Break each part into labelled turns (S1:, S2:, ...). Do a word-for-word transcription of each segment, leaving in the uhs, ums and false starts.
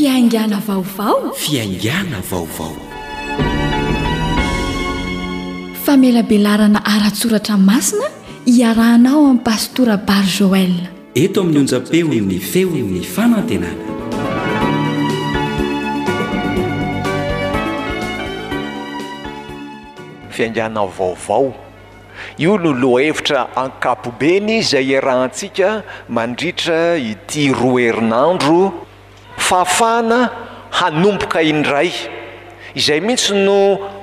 S1: Fiaingàna vaovao.
S2: Fiaingàna vaovao.
S1: Famelabelarana ara-tsoratra masina iarahanao amin'ny Pastora Bar Joël.
S2: Eto amin'ny onjam-peon'ny feon'ny fanantenana.
S3: Fiaingàna vaovao. Io no lohahevitra ankapobeny izay iarahantsika mandritra ity roa herinandro fahafahana hanomboka indray. Izay mihitsy no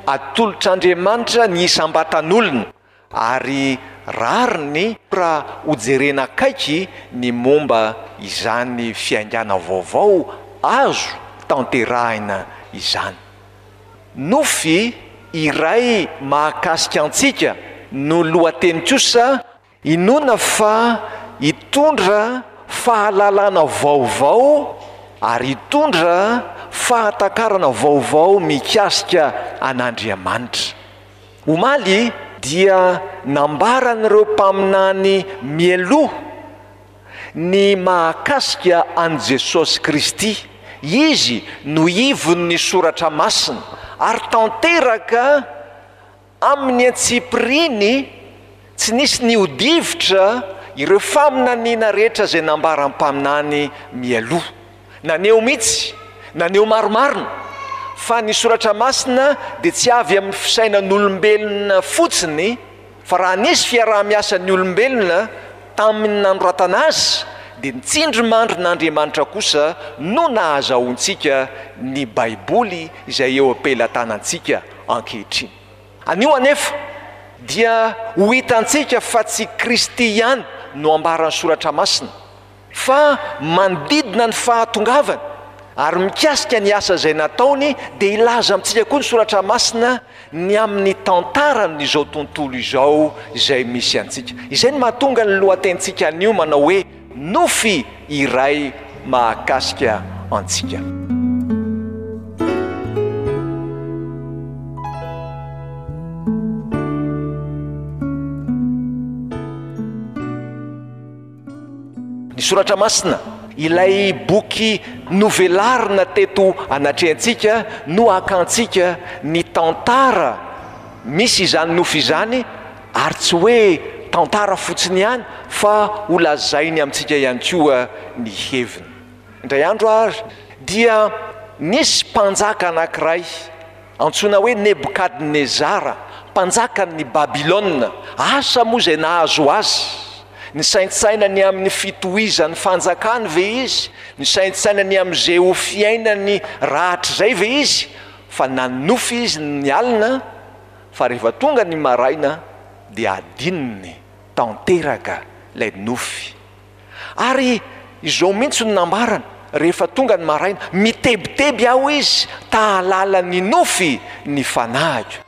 S3: atolotr'Andriamanitra ny isam-batan'olona, ary rariny raha hojerena akaiky ny momba izany fiaingàna vaovao azo tanterahina izany. Nofy iray mahakasika antsika no lohateny kosa, inoana fa hitondra fahalalana vaovao ary hitondra fahatakarana vaovao mikasika an'Andriamanitra. Omaly dia nambaran'ireo mpaminany mialoha ny mahakasika an'i Jesosy Kristy. Izy no ivon'ny soratra masina ary tanteraka amin'ny antsipiriany, tsy nisy nihodivitra ireo faminaniana rehetra izay nambaran'ny mpaminany mialoha. Naneho mihitsy, naneho marimarina fa ny soratra masina dia tsy avy amin'ny fisainan'olombelona fotsiny, fa raha nisy fiaraha-miasan'ny olombelona tamin'ny nanoratana azy, dia ny tsindrimandrin'Andriamanitra kosa no nahazahoantsika ny Baiboly izay eo am-pelatanantsika ankehitriny. Anio anefa dia ho hitantsika fa tsy Kristy ihany no ambaran'ny soratra masina, fa manodidina ny fahatongavany ary mikasika ny asa izay nataony dia hilaza amintsika koa ny soratra masina ny amin'ny tantaran'izao tontolo izao izay misy antsika. Izay no mahatonga ny lohatenintsika anio manao hoe nofy iray mahakasika antsika. Ny soratra masina, ilay boky novelarina teto anatrehantsika no hakantsika ny tantara misy izany nofy izany, ary tsy hoe tantara fotsiny ihany fa holazainy amintsika ihany koa ny heviny. Indray andro ary dia nisy mpanjaka anankiray antsoina hoe Nebokadnezara, mpanjakan'ny Babylona. Asa moa izay nahazo azy. Nisaintsaina ny amin'ny fitohizan'ny fanjakany ve izy? Nisaintsaina ny amin'izay ho fiainany rahatrizay ve izy? Fa nanonofy izy ny alina, fa rehefa tonga ny maraina dia adinony tanteraka ilay nofy. Ary izao mihitsy no nambarany rehefa tonga ny maraina, mitebiteby aho izy, tahalala ny nofy ny fanahiko.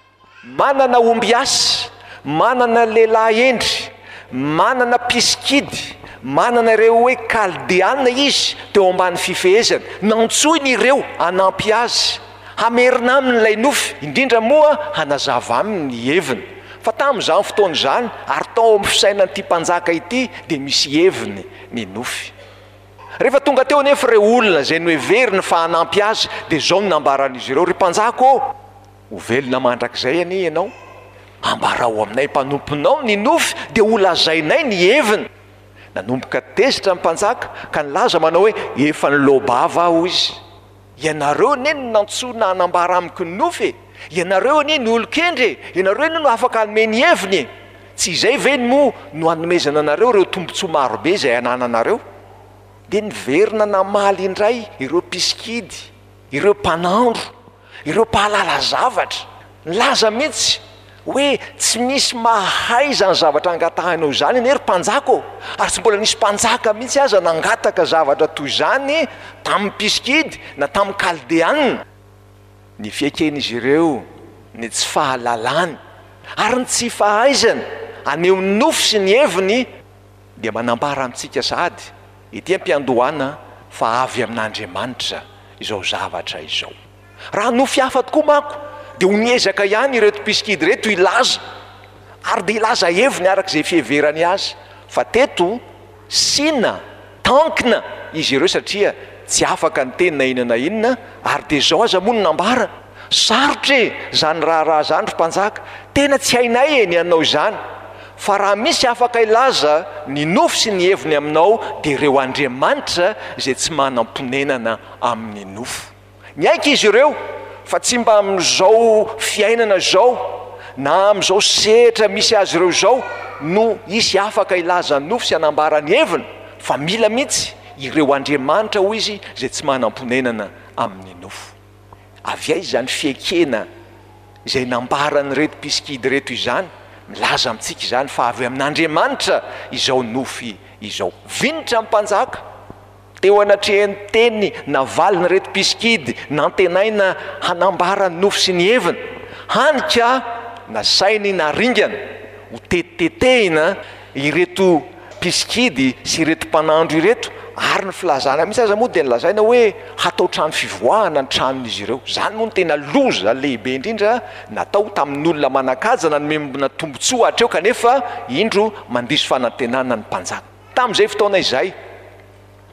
S3: Manana ombiasy, manana lehilahy hendry, manana mpisikidy, manana ireo hoe Kaldeana izy teo ambany fifehezany. Nantsoiny ireo hanampy azy, hamerina aminy ilay nofy, indrindra moa hanazava aminy ny heviny. Fa tamin'izany fotoana izany, ary tao amin'ny fisainan'ity mpanjaka ity, dia misy heviny ny nofy. Rehefa tonga teo anefa ireo olona izay noheveriny fa hanampy azy, dia izao no nambaran'izy ireo, ry mpanjaka ô, ho velona mandrakizay anie ianao, ambarao aminay mpanomponao ny nofy, dia holazainay ny heviny. Nanomboka tezitra ny mpanjaka ka nilaza manao hoe, efa niloa-bava aho izy. Ianareo anie no nantsoina hanambara amiko ny nofy e! Ianareo anie no olon-kendry e! Ianareo anie no afaka hanome ny heviny e! Tsy izay ve moa no hanomezana anareo ireo tombontsoa marobe izay anananareo? Dia niverina namaly indray ireo mpisikidy, ireo mpanandro, ireo mpahalala zavatra. Nilaza mihitsy hoe tsy misy mahay izany zavatra angatahinao izany anie ry mpanjaka ô! Ary tsy mbola nisy mpanjaka mihitsy aza nangataka zavatra toy izany tamin'ny mpisikidy na tamin'ny Kaldeanina. Ny fieken'izy ireo ny tsy fahalalany ary ny tsy fahaizany haneho ny nofy sy ny heviny dia manambara amintsika sahady ety am-piandohana fa avy amin'Andriamanitra izao zavatra izao. Raha nofy hafa tokoa manko dia ho niezaka ihany ireto mpisikidy ireto hilaza, ary dia hilaza heviny araka izay fiheverany azy, fa teto sina, tankina izy ireo satria tsy afaka niteny na inona na inona, ary dia izao aza moa no nambara, sarotra e izany raharaha izany ry mpanjaka, tena tsy hainay e ny hanao izany, fa raha misy afaka hilaza ny nofy sy ny heviny aminao dia ireo andriamanitra izay tsy manam-ponenana amin'ny nofo. Niaiky izy ireo fa tsy mba amin'izao fiainana izao na amin'izao sehatra misy azy ireo izao no hisy afaka hilaza ny nofy sy hanambara ny heviny, fa mila mihitsy ireo andriamanitra, hoy izy, izay tsy manam-ponenana amin'ny nofo. Avy aiza izany fiekena izay nambaran'ireto mpisikidy ireto izany? Milaza amintsika izany fa avy amin'Andriamanitra izao nofy izao. Vinitra ny mpanjaka teo anatrehan'ny teny navalin'ireto mpisikidy nantenaina hanambara ny nofy sy ny heviny, hany ka nasainy naringana ho tetitetehina ireto mpisikidy sy ireto mpanandro ireto, ary ny filazana mihitsy aza moa dia nolazaina hoe hatao trano fivoahana ny tranon'izy ireo. Izany moa no tena loza lehibe indrindra natao tamin'olona manan-kaja nanomena tombontsoa hatreo, kanefa indro mandiso fanantenana ny mpanjaka. Tamin'izay fotoana izay,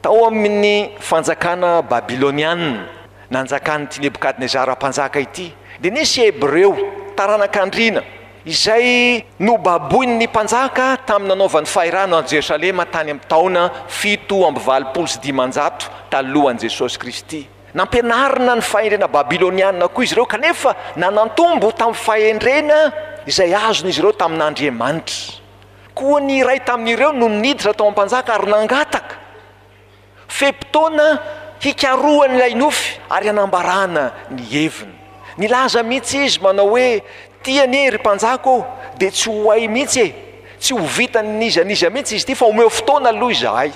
S3: tao amin'ny fanjakana babylonianina nanjakan'ity Nebokadnezara mpanjaka ity, dia nisy Hebreo taranak'andriana izay nobaboin'ny mpanjaka tamin'ny nanaovany fahirano an'i Jerosalema tany amin'ny taona fito amby valopolo sy dimanjato talohan'i Jesosy Kristy. Nampianarina ny fahendrena babylonianina koa izy ireo, kanefa nanantombo tamin'ny fahendrena izay azon'izy ireo tamin'Andriamanitra. Koa ny iray tamin'ireo no niditra tao am-panjaka ary nangataka fe-potoana hikarohany ilay nofy ary hanambarana ny heviny. Nilaza mihitsy izy manao hoe, Ty anie ry mpanjaka ô, dia tsy ho hay mihitsy e, tsy ho vitan'iza n'iza mihitsy izy ity, fa omeo fotoana aloha izahay.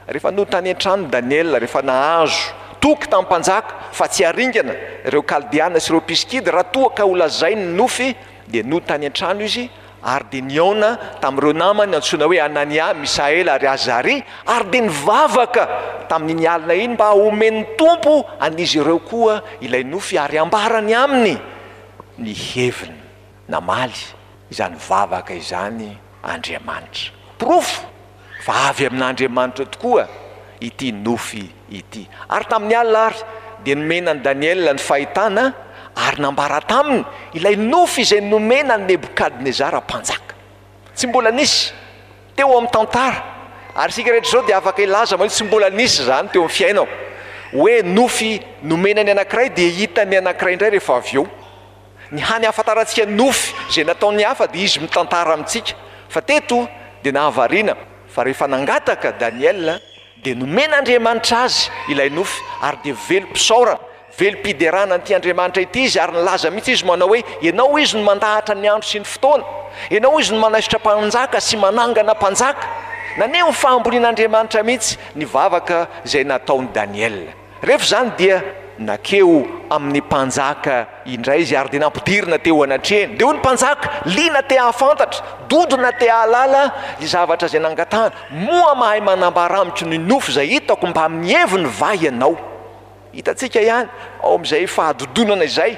S3: Rehefa nody tany an-trano Daniela, rehefa nahazo toky tamin'ny mpanjaka fa tsy haringana ireo Kaldeana sy ireo mpisikidy raha toa ka holazainy ny nofy, dia nody tany an-trano izy ary dia nihaona tamin'ireo namany antsoina hoe Anania, Misaela ary Azaria, ary dia nivavaka tamin'iny alina iny mba homen'ny Tompo an'izy ireo koa ilay nofy ary hambarany aminy ny heviny. Namaly izany vavaka izany Andriamanitra. Porofo fa avy amin'Andriamanitra tokoa ity nofy ity. Ary tamin'ny alina ary dia nomena an'i Daniela ny fahitana ary nambara taminy ilay nofy izay nomena an'i Nebokadnezara mpanjaka. Tsy mbola nisy teo amin'ny tantara, ary isika rehetra izao dia afaka hilaza manao tsy mbola nisy izany teo amin'ny fiainako, hoe nofy nomena ny anankiray dia hitan'ny anankiray indray rehefa avy eo. Ny hany ahafantarantsika nofy izay nataon'ny hafa dia izy mitantara amintsika. Fa teto dia nahavariana fa rehefa nangataka Daniela dia nomen'Andriamanitra azy ilay nofy ary dia velom-pisaorana, velom-piderana an'ity Andriamanitra ity izy ary nilaza mihitsy izy manao hoe, Ianao izy no mandahatra ny andro sy ny fotoana, Ianao izy no manaisotra mpanjaka sy manangana mpanjaka. Naneho ny fahambonian'Andriamanitra mihitsy ny vavaka izay nataon'i Daniela. Rehefa izany dia nakeo amin'ny mpanjaka indray izy ary dia nampidirina teo anatrehany. Dia hoy ny mpanjaka, liana te hahafantatra, dodona te hahalala ny zavatra izay nangatahany, Moa mahay manambara amiko ny nofy izay hitako mbamin'ny heviny va ianao? Hitantsika ihany ao amin'izay fahadodonana izay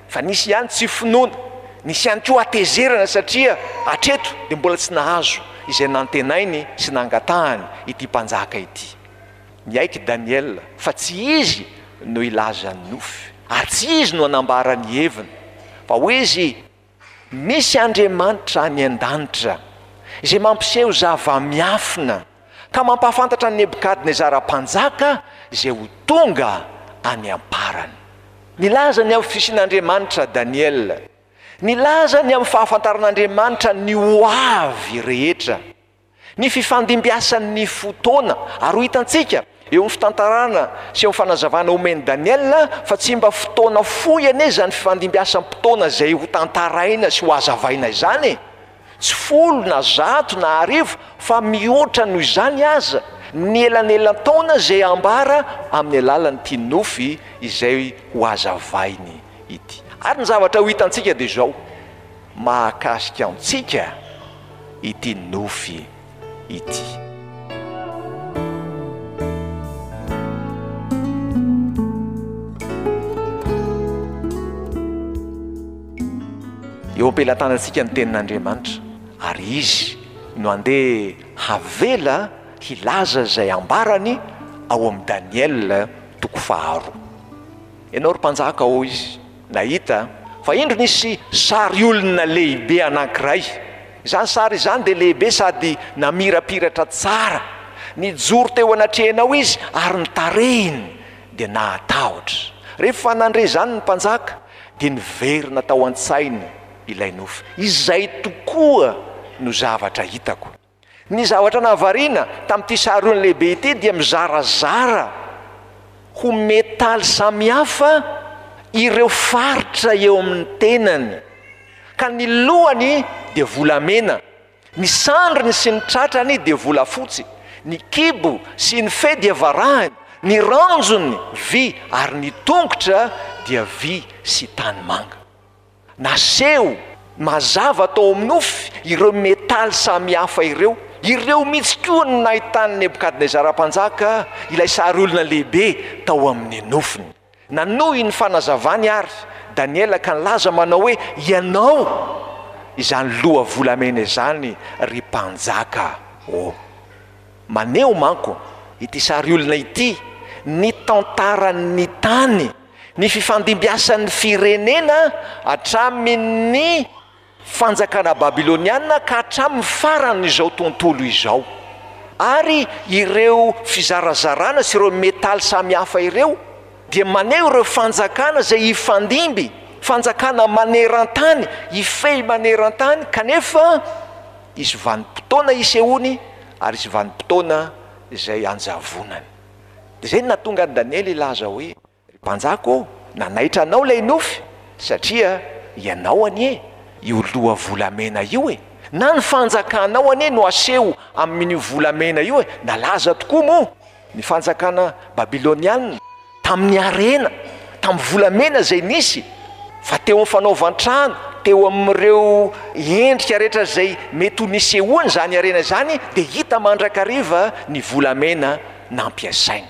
S3: fa nisy ihany tsy finoana, nisy ihany koa hatezerana satria hatreto dia mbola tsy nahazo izay nantenainy sy nangatahany ity mpanjaka ity. Niaiky Daniela fa tsy izy no hilaza ny nofy, ary tsy izy no hanambara ny heviny, fa hoy izy, Misy Andriamanitra any an-danitra, izay mampiseho zava-miafina, ka mampahafantatra an'i Nebokadnezara mpanjaka izay ho tonga any am-parany. Nilaza ny amin'ny fisian'Andriamanitra Daniela, nilaza ny amin'ny fahafantaran'Andriamanitra ny ho avy rehetra. Ny fifandimbiasan'ny fotoana, ary ho hitantsika eo amin'ny fitantarana sy eo amin'ny fanazavana omen'i Daniela fa tsy mba fotoana fohy anie izany fifandimbiasam-potoana izay ho tantaraina sy ho hazavaina izany e! Tsy folo na zato na arivo fa mihoatra noho izany aza ny elanelan-taona izay ambara amin'ny alalan'ity nofy izay ho hazavainy ity. Ary ny zavatra ho hitantsika dia izao, mahakasika antsika ity nofy ity. Eo am-pelatanantsika ny tenin'Andriamanitra, ary Izy no andeha havela hilaza izay ambarany ao amin'i Daniela toko faharoa. Ianao ry mpanjaka, hoy izy, nahita fa indro nisy sary olona lehibe anankiray. Izany sary izany dia lehibe sady namirapiratra tsara. Nijoro teo anatrehanao izy ary ny tarehiny dia nahatahotra. Rehefa nandre izany ny mpanjaka dia niverina tao an-tsainy ilay nofy. Izay tokoa no zavatra hitako. Ny zavatra nahavariana tamin'ity sary olona lehibe ity dia mizarazara ho metaly samihafa ireo faritra eo amin'ny tenany. Ka ny lohany dia volamena, ny sandriny sy ny tratrany dia volafotsy, ny kibo sy ny fe dia varahina, ny ranjony vy ary ny tongotra dia vy sy tanimanga. Naseho mazava tao amin'ny nofy ireo metaly samihafa ireo. Ireo mihitsy koa no nahitan'i Nebokadnezara mpanjaka ilay sary olona lehibe tao amin'ny nofiny. Nanohy ny fanazavany ary Daniela ka nilaza manao hoe: Ianao izany loha volamena izany, ry mpanjaka ô. Maneho manko ity sary olona ity ny tantaran'ny tany, ny fifandimbiasan'ny firenena hatramin'ny fanjakana babyloniana ka hatramin'ny faran'izao tontolo izao. Ary ireo fizarazarana sy ireo metaly samihafa ireo dia maneho ireo fanjakana izay hifandimby, fanjakana maneran-tany, hifehy maneran-tany, kanefa hisy vanim-potoana hisehoany ary hisy vanim-potoana izay hanjavonany. Dia izay no nahatonga an'i Daniela hilaza hoe: Ry mpanjaka ô, nanaitra anao ilay nofy, satria ianao anie io loha volamena io e! Na ny fanjakanao anie no aseho amin'io volamena io e! Nalaza tokoa moa ny fanjakana babylonianina tamin'ny harena, tamin'ny volamena izay nisy, fa teo amin'ny fanaovan-trano, teo amin'ireo endrika rehetra izay mety ho nisehoany izany harena izany, dia hita mandrakariva ny volamena nampiasaina.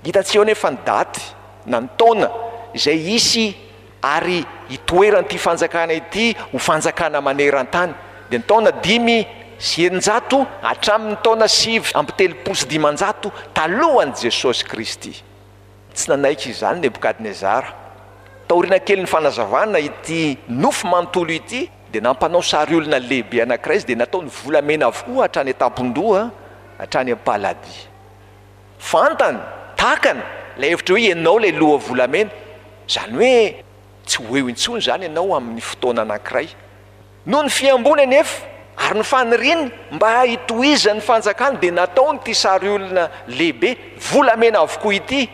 S3: Hita tsy eo anefa ny daty na ny taona izay hisy ary hitoeran'ity fanjakana ity ho fanjakana maneran-tany, dia ny taona dimy sy eninjato hatramin'ny taona sivy amby telopolo sy dimanjato talohan'i Jesosy Kristy. Tsy nanaiky izany Nebokadnezara. Taoriana kelin'ny fanazavana ity nofy manontolo ity, dia nampanao sary olona lehibe anankiray izy, dia nataony volamena avokoa hatrany an-tampon-doha hatrany am-paladia. Fantany, takany, ilay hevitra hoe ianao ilay loha volamena. Izany hoe tsy ho eo intsony izany ianao amin'ny fotoana anankiray. Noho ny fihamboany anefa, ary ny faniriany mba hitohizan'ny fanjakany, dia nataony ity sary olona lehibe volamena avokoa ity.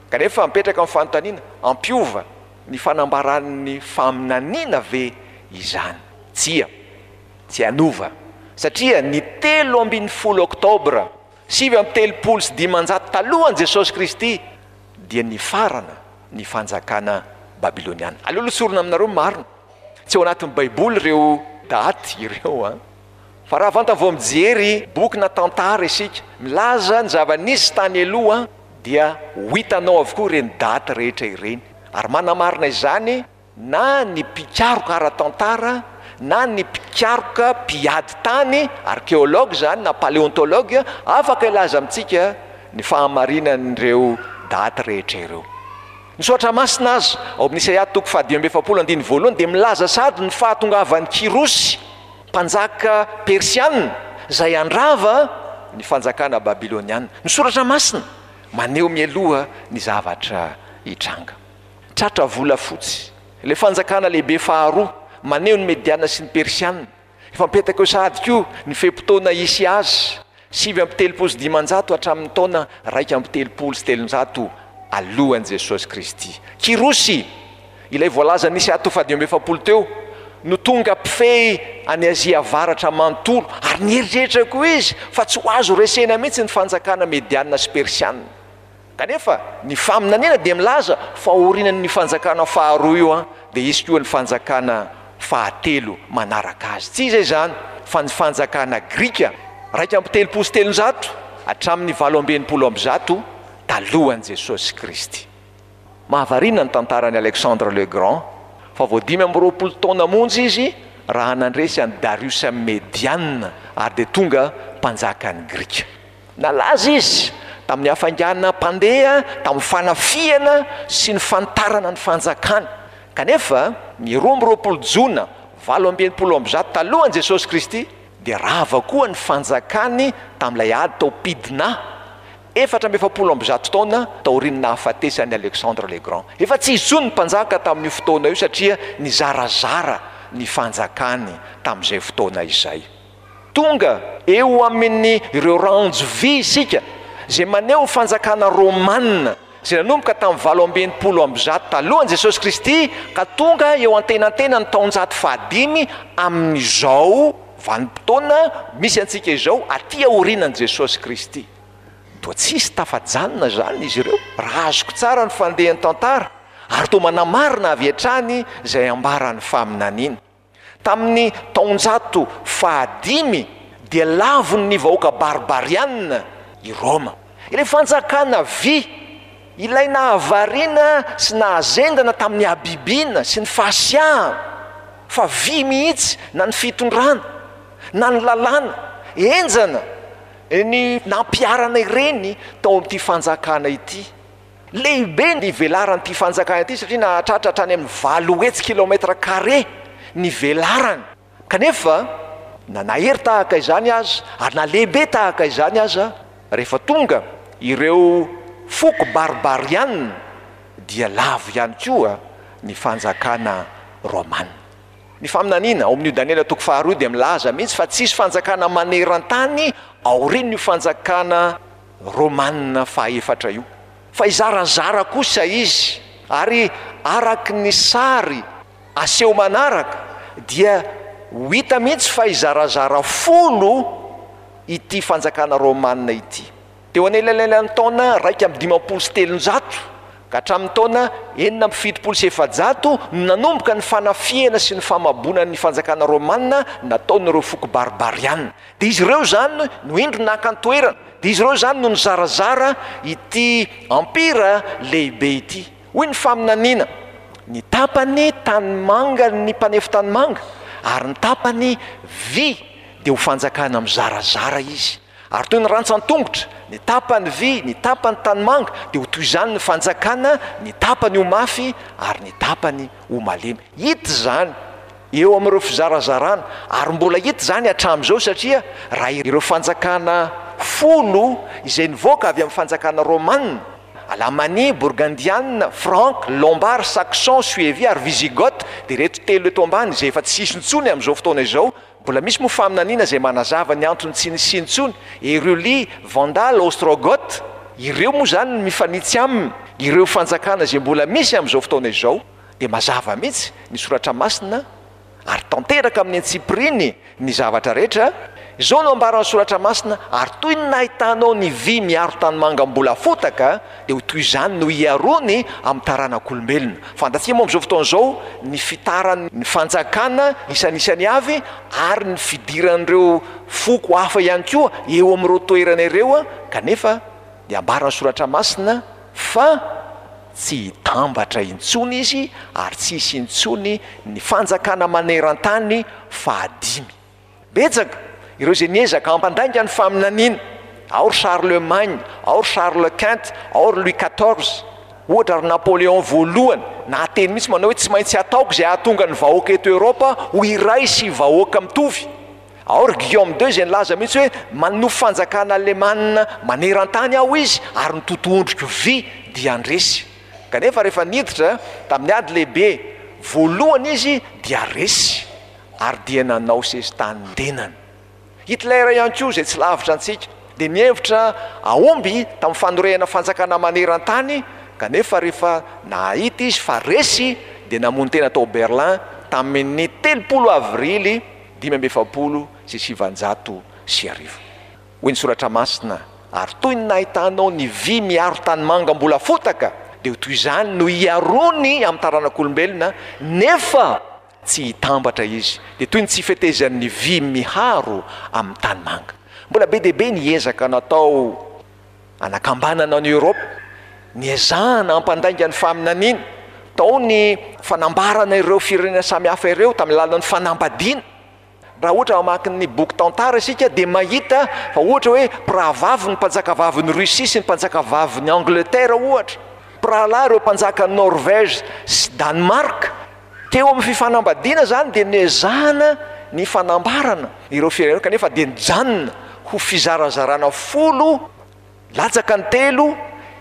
S3: Kanefa mipetraka ny fanontaniana, hampiova ny fanambaran'ny faminaniana ve izany? Tsia, tsy hanova, satria ny telo ambin'ny folo oktobra sivy amby telopolo sy dimanjato talohan'i Jesosy Kristy dia nifarana ny fanjakana babyloniana. Aleo aloha tsorina aminareo ny marina, tsy ao anatin'ny Baiboly ireo daty ireo an! Fa raha vantany vao mijery boky na tantara isika milaza ny zava-nisy tany aloha dia ho hitanao avokoa ireny daty rehetra ireny, ary manamarina izany na ny mpikaroka ara-tantara na ny mpikaroka mpiady tany, archéologue izany na paléontologue, afaka hilaza amintsika ny fahamarinan'ireo daty rehetra ireo. Ny Soratra Masina aza, ao amin'ny Isaia toko fahadimy amby efapolo andininy voalohany dia milaza sady ny fahatongavan'i Kyrosy, mpanjaka persiana, izay handrava ny fanjakana babyloniana. Ny Soratra Masina maneho mialoha ny zavatra hitranga. Tratra volafotsy. Ilay fanjakana lehibe faharoa, maneho ny Mediana sy ny Persiana. Efa mipetaka eo sahady koa ny fe-potoana hisy azy, sivy amby telopolo sy dimanjato hatramin'ny taona iraika amby telopolo sy telonjato alohan'i Jesosy Kristy. Kyrosy, ilay voalaza nisy ato fahadimy amby efapolo teo, no tonga mpifehy an'i Azia Avaratra manontolo, ary nieritreritra koa izy fa tsy ho azo resena mihitsy ny fanjakana Mediana sy Persiana. Kanefa, ny faminaniana dia milaza fa aorianan'io fanjakana faharoa io dia hisy koa ny fanjakana fahatelo manaraka azy. Tsy iza izany fa ny fanjakana grika, iraika amby telopolo sy telonjato hatramin'ny valo amby enimpolo amby zato talohan'i Jesosy Kristy. Mahavariana ny tantaran'i Alexandre le Grand, fa vao dimy amby roapolo taona monja izy raha nandresy an'i Darius Mediana ary dia tonga mpanjakan'ny Grika. Nalaza izy tamin'ny hafainganam-pandeha, tamin'ny fanafihana sy ny fanitarana ny fanjakany. Kanefa, ny roa amby roapolo jona valo amby enimpolo amby zato talohan'i Jesosy Kristy, dia rava koa ny fanjakany tamin'ilay ady tao Pidna, efatra amby efapolo amby zato taona taorian'ny nahafatesan'i Alexandre le Grand. Efa tsy izy intsony ny mpanjaka tamin'io fotoana io satria nizarazara ny fanjakany tamin'izay fotoana izay. Tonga eo amin'ny ireo ranjo vy isika izay maneho ny fanjakana romana izay nanomboka tamin'ny valo amby enimpolo amby zato talohan'i Jesosy Kristy ka tonga eo antenantenan'ny taonjato fahadimy amin'izao vanim-potoana misy antsika izao aty aorianan'i Jesosy Kristy. Toa tsisy tafajanona izany izy ireo raha azoko tsara ny fandehan'ny tantara ary toa manamarina avy hatrany izay ambaran'ny faminaniana. Tamin'ny taonjato fahadimy dia lavon'ny vahoaka barbarianina i Roma. Ilay fanjakana vy, ilay nahavariana sy nahazendana tamin'ny habibiana sy ny fahasiahana, fa vy mihitsy na ny fitondrana na ny lalàna henjana ny nampiharana ireny tao amin'ity fanjakana ity. Lehibe ny velaran'ity fanjakana ity satria nahatratra hatrany amin'ny valo hetsy kilomètre carré ny velarany. Kanefa na nahery tahaka izany aza ary na lehibe tahaka izany aza, rehefa tonga ireo foko barbarianina dia lavo ihany koa ny fanjakana romana. Ny faminaniana ao amin'io Daniela toko faharoa dia milaza mihitsy fa tsisy fanjakana maneran-tany aorian'io fanjakana romana fahaefatra io. Fa hizarazara kosa izy, ary araky ny sary aseho manaraka dia ho hita mihitsy fa hizarazara folo ity fanjakana romana ity. Teo anelanelan'ny taona raika amby dimampolo sy telonjato ka hatramin'ny taona enina amby fitopolo sy efajato no nanomboka ny fanafihana sy ny famaboana ny fanjakana romana nataon'ireo foko barbarianina. Dia izy ireo izany no indro naka ny toerana, dia izy ireo izany no nizarazara ity empira lehibe ity. Hoy ny faminaniana, ny tapany tanimanga ny mpanefy tanimanga ary ny tapany vy dia ho fanjakana mizarazara izy. Ary toy ny rantsan-tongotra, ny tapany vy, ny tapany tanimanga dia ho toy izany ny fanjakana, ny tapany ho mafy ary ny tapany ho malemy. Hita izany eo amin'ireo fizarazarana ary mbola hita izany hatramin'izao satria raha ireo fanjakana folo izay nivoaka avy amin'ny fanjakana romana, Alamania, Burgundiana, Frank, Lombard, Saxon, Suevi ary Visigoth, dia ireto telo eto ambany izay efa tsy hisy intsony amin'izao fotoana izao. Mbola misy moa faminaniana izay manazava ny antony tsy nisiany intsony, Eruli, Vandal, Ostrogoth, ireo moa izany no mifanitsy aminy, ireo fanjakana izay mbola misy amin'izao fotoana izao, dia mazava mihitsy ny soratra masina ary tanteraka amin'ny antsipiriany ny zavatra rehetra. Izao no ambaran'ny soratra masina, ary toy ny nahitanao ny vy miaro tanimanga mbola fotaka, dia ho toy izany no hiaroany amin'ny taranak'olombelona. Fantatsika moa amin'izao fotoana izao ny fitaran'ny fanjakana isanisany avy ary ny fidiran'ireo foko hafa ihany koa eo amin'ireo toerana ireo, kanefa dia ambaran'ny soratra masina fa tsy hitambatra intsony izy ary tsy hisy intsony ny fanjakana maneran-tany fahadimy. Betsaka ireo izay niezaka hampandainga ny faminaniana, ao ry Charlemagne, ao ry Charles Quint, ao ry Louis quatorze, ohatra ry Napoléon voalohany, nahateny mihitsy manao hoe tsy maintsy ataoko izay hahatonga ny vahoaka eto Eoropa ho iray sy vahoaka mitovy. Ao ry Guillaume deux izay nilaza mihitsy hoe manofy fanjakana alemana maneran-tany aho izy ary ny totohondriko vy dia handresy. Kanefa rehefa niditra tamin'ny ady lehibe voalohany izy dia resy ary dia nanao sesitany ny tenany. Hitler ihany koa izay tsy lavitra antsika dia nihevitra hahomby tamin'ny fanorehana fanjakana maneran-tany, kanefa rehefa nahita izy fa resy dia namono tena tao Berlin tamin'ny telopolo avrily dimy amby efapolo sy sivanjato sy arivo. Hoy ny soratra masina, ary toy ny nahitanao ny vy miaro tanimanga mbola fotaka, dia ho toy izany no hiaroany amin'ny taranak'olombelona, nefa tsy hitambatra izy, dia toy ny tsy fetezan'ny vy miharo amin'ny tanimanga. Mbola be dia be ny ezaka natao anakambanana an'i Eoropa, niezahana hampandainga ny faminaniana, tao ny fanambarana ireo firenena samihafa ireo tamin'ny alalan'ny fanambadiana. Raha ohatra mamaky ny boky tantara isika dia mahita fa ohatra hoe mpirahavavy ny mpanjakavavin'i Russie sy ny mpanjakavavin'i Angleterre ohatra, mpirahalahy ireo mpanjakan'i Norvège sy Danemark. Teo amin'ny fifanambadiana izany dia nezahana ny fanambarana ireo firenena kanefa dia nijanona ho fizarazarana folo latsaka ny telo.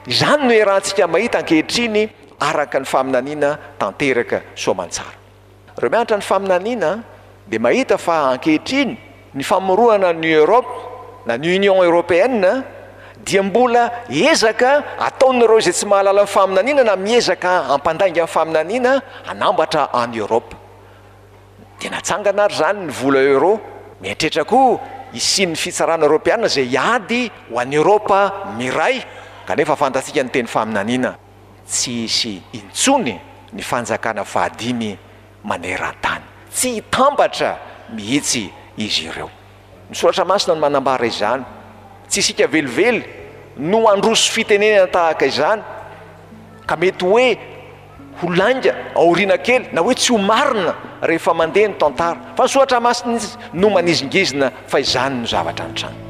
S3: Izany no iarahantsika mahita ankehitriny araka ny faminaniana tanteraka soamantsara. Ireo mianatra ny faminaniana dia mahita fa ankehitriny ny famoronana ny Europe na ny Union Européenne dia mbola ezaka ataon'ireo izay tsy mahalala ny faminaniana na miezaka hampandainga ny faminaniana hanambatra any Europe. Dia natsangana ary izany ny vola euro. Mieritreritra koa hisian'ny fitsarana eoropeana izay hiady ho an'i Eoropa miray, kanefa fantatsika ny teny faminaniana, tsy hisy intsony ny fanjakana fahadimy maneran-tany. Tsy hitambatra mihitsy izy ireo. Ny soratra masina no manambara izany. Tsy isika velively no handroso fitenenana tahaka izany, ka mety hoe ho lainga aoriana kely na hoe tsy ho marina rehefa mandeha ny tantara. Fa ny soratra masina no manizingizina fa izany no zavatra nitranga.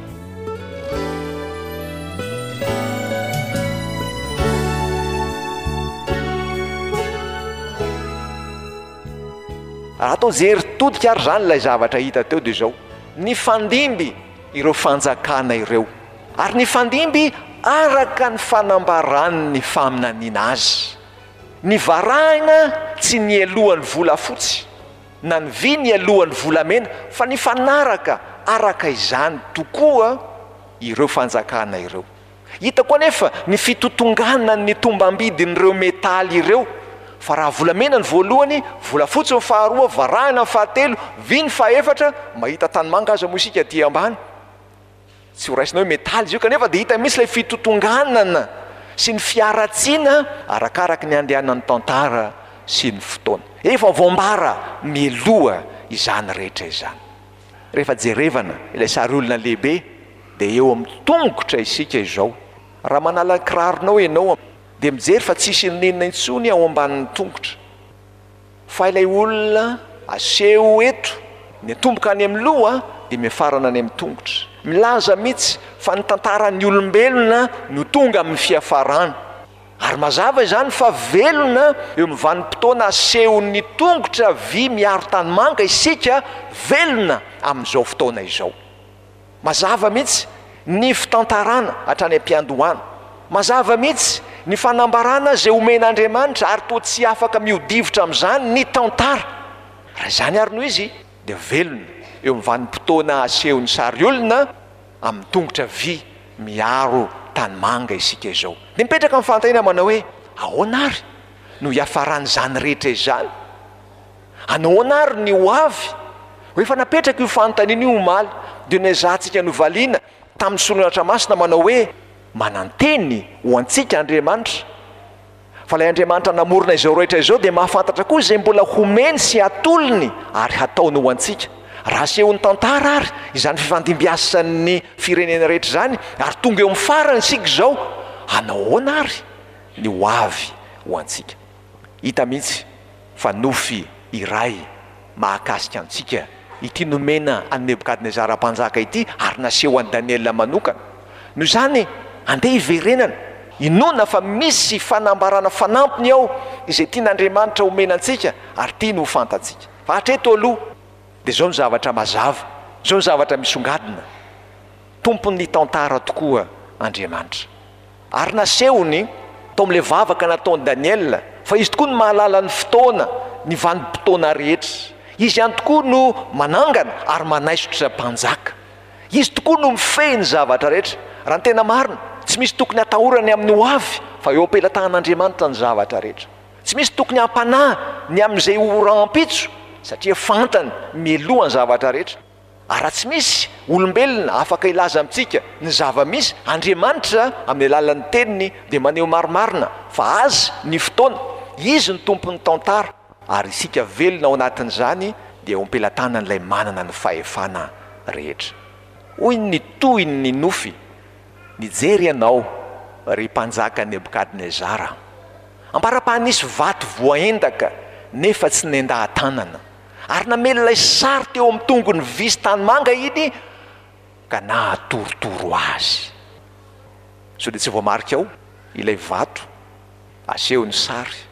S3: Raha atao jery todika ary izany ilay zavatra hita teo dia izao: nifandimby ireo fanjakana ireo, ary nifandimby araka ny fanambaran'ny faminaniana azy. Ny varahina tsy nialohan'ny volafotsy, na ny vy nialohan'ny volamena, fa nifanaraka araka izany tokoa ireo fanjakana ireo. Hita koa anefa ny fitotonganan'ny tombambidin'ireo metaly ireo, fa raha volamena ny voalohany, volafotsy ny faharoa, varahina ny fahatelo, vy ny fahefatra, mahita tanimanga aza moa isika aty ambany. Tsy ho raisina hoe metaly izy io, kanefa dia hita mihitsy ilay fitotonganana sy ny fiaratsiana arakaraky ny andehanan'ny tantara sy ny fotoana. Efa voambara mialoha izany rehetra izany. Rehefa jerevana ilay sary olona lehibe dia eo amin'ny tongotra isika izao. Raha manala ny kiraronao ianao dia mijery fa tsisy n'inona intsony ao ambanin'ny tongotra. Fa ilay olona aseho eto, ny atomboka any amin'ny loha dia miafarana any amin'ny tongotra. Milaza mihitsy fa ny tantaran'ny olombelona no tonga amin'ny fiafarana. Ary mazava izany fa velona eo amin'ny vanim-potoana asehon'ny tongotra vy miaro tanimanga isika, velona amin'izao fotoana izao. Mazava mihitsy ny fitantarana hatrany am-piandohana. Mazava mihitsy ny fanambarana izay omen'Andriamanitra, ary toa tsy afaka mihodivitra amin'izany ny tantara. Raha izany ary no izy, dia velona eo amin'ny vanim-potoana asehon'ny sary olona amin'ny tongotra vy miaro tanimanga isika izao. Dia mipetraka amin'ny fanontaniana manao hoe, ahoana ary no hiafaran'izany rehetra izany? Ahoana ary ny ho avy? Ho efa napetraka io fanontaniana io omaly, dia nezahantsika novaliana tamin'ny soratra masina manao hoe, mananteny ho antsika Andriamanitra. Fa ilay Andriamanitra namorona izao rehetra izao dia mahafantatra koa izay mbola homeny sy hatolony ary hataony ho antsika. Raha asehon'ny tantara ary izany fifandimbiasan'ny firenena rehetra izany, ary tonga eo amin'ny farany isika izao, hanao ahoana ary ny ho avy ho antsika? Hita mihitsy fa nofy iray mahakasika antsika ity nomena an'i Nebokadnezara mpanjaka ity ary naseho an'i Daniela manokana. Noho izany, andeha hiverenana, inoana fa misy fanambarana fanampiny ao izay tian'Andriamanitra homena antsika ary tiany ho fantatsika. Fa hatreto aloha dia izao ny zavatra mazava, izao ny zavatra misongadina: tompon'ny tantara tokoa Andriamanitra. Ary nasehony tao amin'ilay vavaka nataon'i Daniela fa izy tokoa no mahalala ny fotoana, ny vanim-potoana rehetra. Izy ihany tokoa no manangana ary manaisotra mpanjaka. Izy tokoa no mifehy ny zavatra rehetra. Raha ny tena marina, tsy misy tokony hatahorany amin'ny ho avy fa eo am-pelatahan'Andriamanitra ny zavatra rehetra. Tsy misy tokony hampanahy ny amin'izay ho rahampitso satria fantany mialoha ny zavatra rehetra. Ary raha tsy misy olombelona afaka hilaza amintsika ny zava-misy, Andriamanitra amin'ny alalan'ny teniny dia maneho marimarina fa Azy ny fotoana, Izy no tompon'ny tantara, ary isika velona ao anatin'izany dia eo am-pelatanan'ilay manana ny fahefana rehetra. Hoy ny tohin'ny nofy, Nijery ianao, ry mpanjaka Nebokadnezara, ambara-paha nisy vato voaendaka nefa tsy nendaha-tanana, Ary namely ilay sary teo amin'ny tongony vy sy tanimanga iny ka nahatorotoro azy. Sao dia tsy voamarika ao ilay vato asehon'ny sary.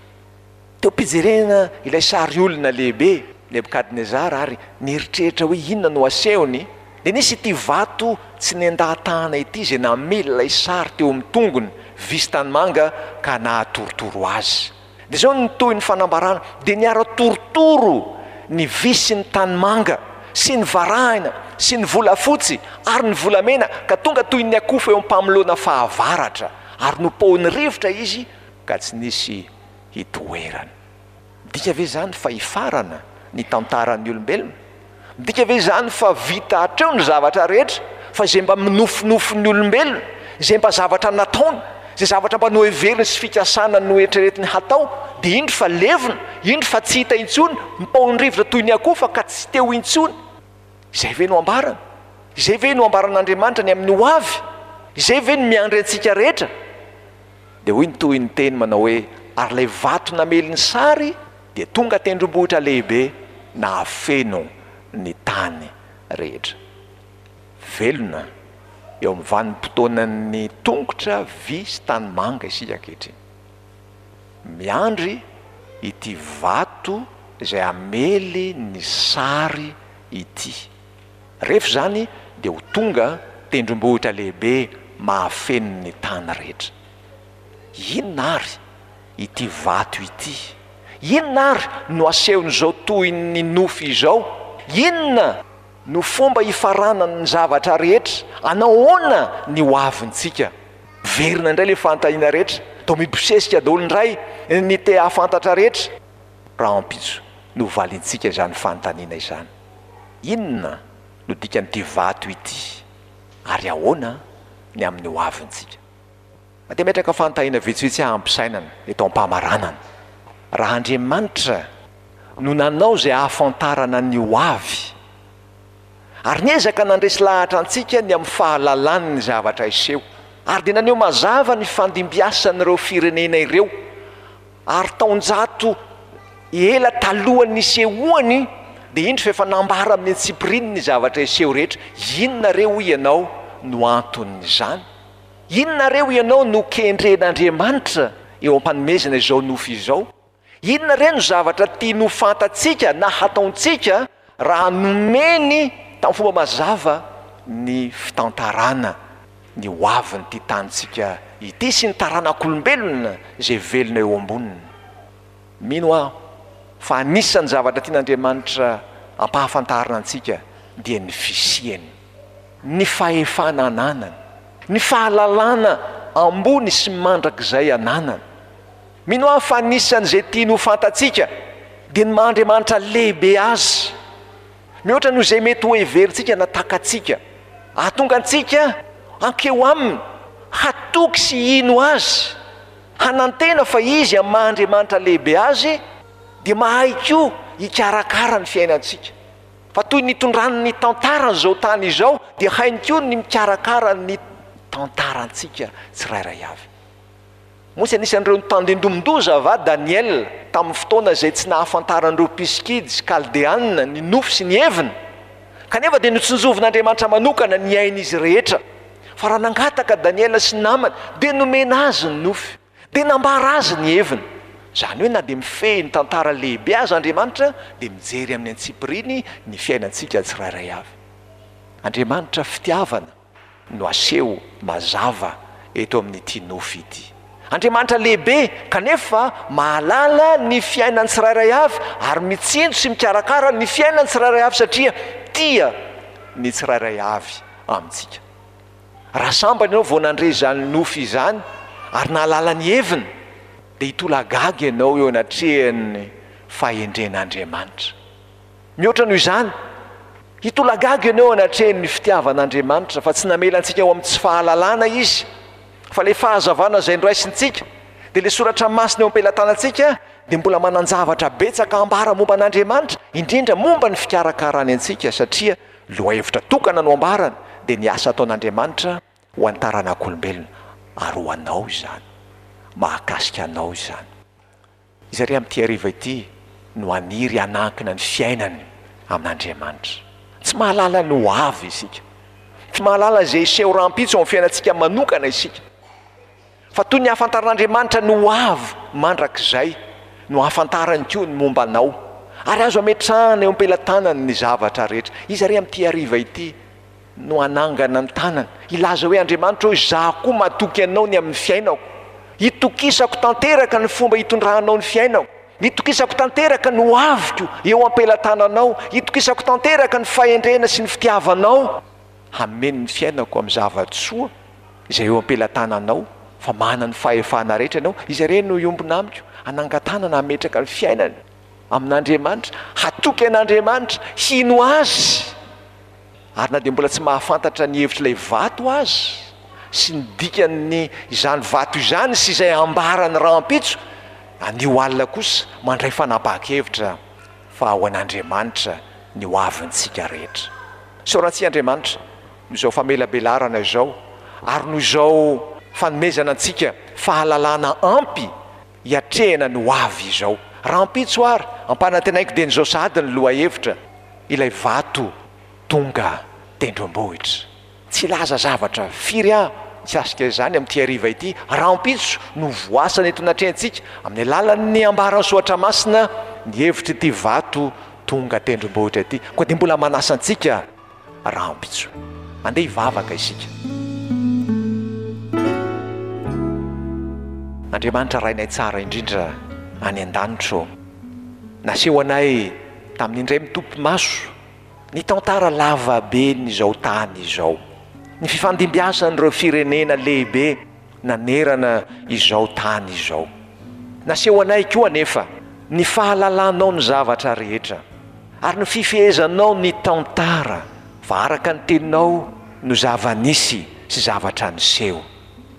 S3: Teo am-pijerena ilay sary olona lehibe, Nebokadnezara, ary nieritreritra hoe inona no asehony, dia nisy ity vato tsy nendahatahana ity izay namely ilay sary teo amin'ny tongony vy sy tanimanga ka nahatorotoro azy. Dia izao no tohin'ny fanambarana, dia niara-torotoro ny vy sy ny tanimanga sy ny varahina sy ny volafotsy ary ny volamena ka tonga toy ny akofa eo am-pamoloana fahavaratra, ary nopohin'ny rivotra izy ka tsy nisy hitoerany. Midika ve izany fa hifarana ny tantaran'ny olombelona? Midika ve izany fa vita hatreo ny zavatra rehetra, fa izay mba minofinofin'ny olombelona, izay mba zavatra nataony, izay zavatra mba noheveriny sy fikasana noeritreretiny hatao, dia indro fa levona, indro fa tsy hita intsony, mipaon'ny rivotra toy ny akofa ka tsy teo intsony? Izay ve no ambarany? Izay ve no ambaran'Andriamanitra ny amin'ny ho avy? Izay ve no miandry antsika rehetra? Dia hoy ny tohin'ny teny manao hoe, Ary ilay vato namely ny sary dia tonga tendrombohitra lehibe nahafeno ny tany rehetra. Velona eo amin'ny vanim-potoanan'ny tongotra vy sy tanimanga isika ankehitriny. Miandry ity vato izay hamely ny sary ity. Rehefa izany dia ho tonga tendrombohitra lehibe mahafeno ny tany rehetra. Inona ary ity vato ity? Inona ary no asehon'izao tohin'ny nofy izao? Inona no fomba hifaranan'ny zavatra rehetra? Anahoana ny ho avintsika? Miverina indray ilay fanontaniana rehetra, toa mibosesika daholo indray ny te hahafantatra rehetra. Rahampitso no valintsika izany fanontaniana izany. Inona no dikan'ity vato ity ary ahoana ny amin'ny ho avintsika? Mba te hametraka fanontaniana vitsivitsy aho am-pisainana eto am-pamaranana. Raha Andriamanitra no nanao izay hahafantarana ny ho avy, ary niezaka nandresy lahatra antsika ny amin'ny fahalalany ny zavatra hiseho, ary dia naneho mazava ny fandimbiasan'ireo firenena ireo, ary taonjato ela talohan'ny nisehoany, dia indro fa efa nambara amin'ny antsipiriany ny zavatra hiseho rehetra. Inona re hoy ianao no anton'izany? Inona re hoy ianao no kendren'Andriamanitra eo am-panomezana izao nofy izao? Inona re no zavatra tiany ho fantatsika na hataontsika raha nomeny tamin'ny fomba mazava ny fitantarana ny ho avin'ity tanintsika ity sy ny taranak'olombelona izay velona eo amboniny? Mino aho fa anisan'ny zavatra tian'Andriamanitra ampahafantarina antsika dia ny fisiany, ny fahefana ananany, ny fahalalana ambony sy mandrakizay ananany. Mino aho fa anisan'izay tiany ho fantatsika dia ny maha Andriamanitra lehibe Azy, mihoatra noho izay mety ho heverintsika na takatsika. Hahatonga antsika hankeo Aminy, hatoky sy hino Azy, hanantena fa Izy amin'ny maha Andriamanitra lehibe Azy dia mahay koa hikarakara ny fiainantsika. Fa toy ny nitondrany ny tantaran'izao tany izao dia hainy koa ny mikarakara ny tantarantsika tsirairay avy. Moa tsy anisan'ireo notandindomin-doza va Daniela tamin'ny fotoana izay tsy nahafantaran'ireo mpisikidy sy Kaldeana ny nofy sy ny heviny? Kanefa dia notsinjovin'Andriamanitra manokana ny ain'izy rehetra. Fa raha nangataka Daniela sy ny namany, dia nomena azy ny nofy, dia nambara azy ny heviny. Izany hoe na dia mifehy ny tantara lehibe aza Andriamanitra, dia mijery amin'ny antsipiriany ny fiainantsika tsirairay avy. Andriamanitra fitiavana. no aseho mazava eto amin'ity nofy ity. Andriamanitra lehibe kanefa mahalala ny fiainan'ny tsirairay avy ary mitsinjo sy mikarakara ny fiainan'ny tsirairay avy satria tia ny tsirairay avy amintsika. Raha sambany ianao vao nandre izany nofy izany ary nahalala ny heviny dia hitolagaga ianao eo anatrehan'ny fahendren'Andriamanitra. Mihoatra noho izany, hitolagaga ianao eo anatrehan'ny fitiavan'Andriamanitra, fa tsy namela antsika ho amin'ny tsy fahalalana Izy, fa ilay fahazavana izay noraisintsika, dia ilay soratra masina eo am-pelatanantsika, dia mbola manan-javatra betsaka hambara momba an'Andriamanitra, indrindra momba ny fikarakarany antsika, satria lohahevitra tokana no ambarany, dia ny asa ataon'Andriamanitra ho an'ny taranak'olombelona, ary ho anao izany, mahakasika anao izany. Iza re amin'ity hariva ity no haniry hanankina ny fiainany amin'Andriamanitra. Tsy mahalala ny ho avy isika. Tsy mahalala izay hiseho rahampitso ao amin'ny fiainantsika manokana isika. Fa toy ny ahafantaran'Andriamanitra ny ho avy mandrakizay no ahafantarany koa ny momba anao. Ary azo ametrahana eo am-pelatanany ny zavatra rehetra. Iza re amin'ity hariva ity no hanangana ny tanany, hilaza hoe, Andriamanitra ô, izaho koa matoky Anao ny amin'ny fiainako. Itokisako tanteraka ny fomba itondranao ny fiainako. Itokisako tanteraka ny ho aviko eo am-pelatananao. Itokisako tanteraka ny fahendrena sy ny fitiavanao hameno ny fiainako amin'ny zava-tsoa izay eo am-pelatananao, fa manana ny fahefana rehetra Ianao. Iza re no hiombona amiko, hanangan-tanana hametraka ny fiainany amin'Andriamanitra, hatoky an'Andriamanitra, hino Azy? Ary na dia mbola tsy mahafantatra ny hevitr'ilay vato aza, sy ny dikan'ny izany vato izany sy izay ambarany rahampitso, anio alina kosa mandray fanapahan-kevitra fa ho an'Andriamanitra ny ho avintsika rehetra. Isaorantsika Andriamanitra noho izao famelabelarana izao, ary noho izao fanomezana antsika fahalalana ampy hiatrehana ny ho avy izao. Rahampitso ary, ampanantenaiko dieny izao sahady ny lohahevitra, ilay vato tonga tendrombohitra. Tsy hilaza zavatra firy aho mikasika izany amin'ity hariva ity. Rahampitso no voasana eto anatrehantsika, amin'ny alalan'ny ambaran'ny Soratra Masina, ny hevitr'ity vato tonga tendrombohitra ity. Koa dia mbola manasa antsika rahampitso. Andeha hivavaka isika. Andriamanitra Rainay tsara indrindra any an-danitra ô, naseho anay tamin'ny indray mitopy maso ny tantara lava ben'izao tany izao, ny fifandimbiasan'ireo firenena lehibe nanerana izao tany izao. Naseho anay koa anefa ny fahalalanao ny zavatra rehetra ary ny fifehezanao ny tantara, fa araka ny teninao no zava-nisy sy zavatra niseho.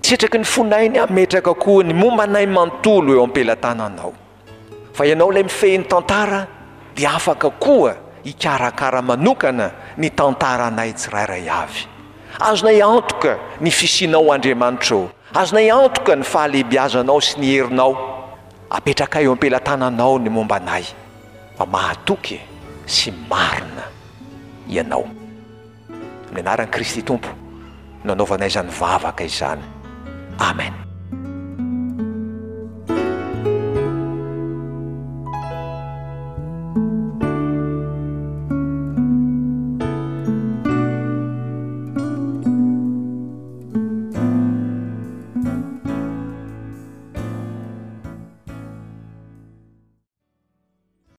S3: Sitraky ny fonay ny hametraka koa ny momba anay manontolo eo am-pelatananao. Fa ianao ilay mifehy ny tantara dia afaka koa hikarakara manokana ny tantaranay tsirairay avy. Azonay antoka ny fisianao Andriamanitra ô. Azonay antoka ny fahalehibiazanao sy ny herinao. Apetrakay eo am-pelatananao ny momba anay, fa mahatoky sy marina Ianao. Amin'ny anaran'i Kristy Tompo no anaovanay izany vavaka izany. Amen.